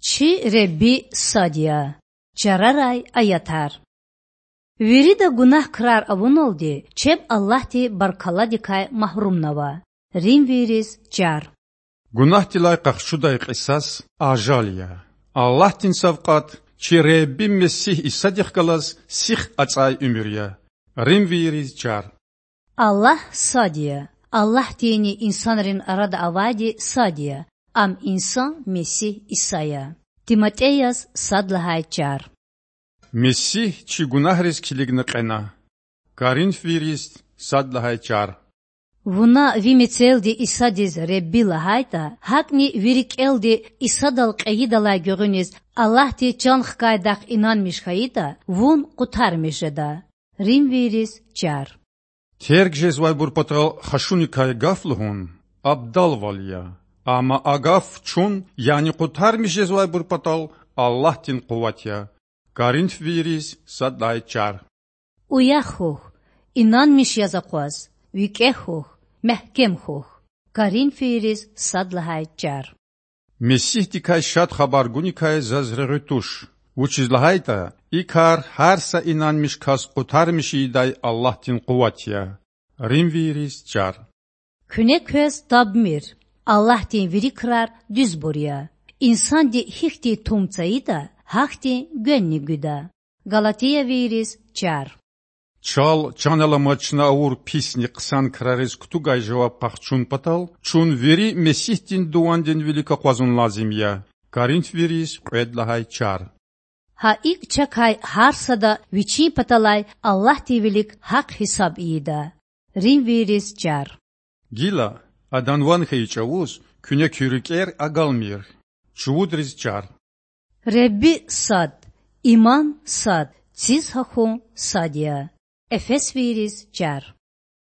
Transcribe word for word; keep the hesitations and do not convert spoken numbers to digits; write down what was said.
Чи Худа сад я. Чарарай аятар. Вирида гунагь крар авуналди чеб Аллагьди баркалладикай магьрумнава. Римвийриз чар. Гунагьдилай къахчудай кьисас ажал я. Аллагьдин савкьват чи Худа Месигь Исадихъ галаз сих ацІай уьмуьр я. Римвийриз чар. Аллагь сад я. Аллагьдинни инсанрин арада авайди сад я. Ам инсан Месигь Иса я. ТиматІеяз сад лагьай чар. Месигь чи гунагьриз килигна кьена. Коринфвийриз сад лагьай чар. Вуна ви мецелди Исадиз Худа лагьайтІа, гьакІни ви рикІелди Исадал кьейидалай гуьгъуьниз Аллагьди чан хкайдахъ инанмиш хьайитІа, вун къутармиш жеда. Римвийриз чар. Терг жезвайбур патал хашуникай гаф лугьун абдалвал я, амма а гаф чун, яни къутармиш жезвайбур патал Аллагьдин къуват я. Коринфвийриз сад лагьай чар. Уях хьухь, инанмиш яз акъваз, викІегь хьухь, мягькем хьухь. Коринфвийриз сад лагьай чар. Месигьдикай Шад Хабар гуникай заз регъуь туш, вучиз лагьайтІа и кар гьар са инанмиш кас къутармиш ийидай Аллагьдин къуват я. Римвийриз чар. Куьне квез табмир: Аллагьдин вири крар дуьзбур я. Инсанди гьихьтин тум цайитІа, гьахьтин гвенни гуьда. Галатиявийриз чар. Чал чан аламаз чна авур писни хъсан крариз кутугай жаваб къахчун патал чун вири Месигьдин дувандин вилик акъвазун лазим я. Коринфвийриз кьвед лагьай чар. Гьа икІ чакай гьар сада вичин паталай Аллагьдин вилик гьахъ-гьисаб ийида. Римвийриз чар. Гила, Адан ван хьайи чІавуз куьне куь рикІер агалмир. Чувудриз чар. Худа сад, иман сад, циз гьахьун сад я. Эфесвийриз чар.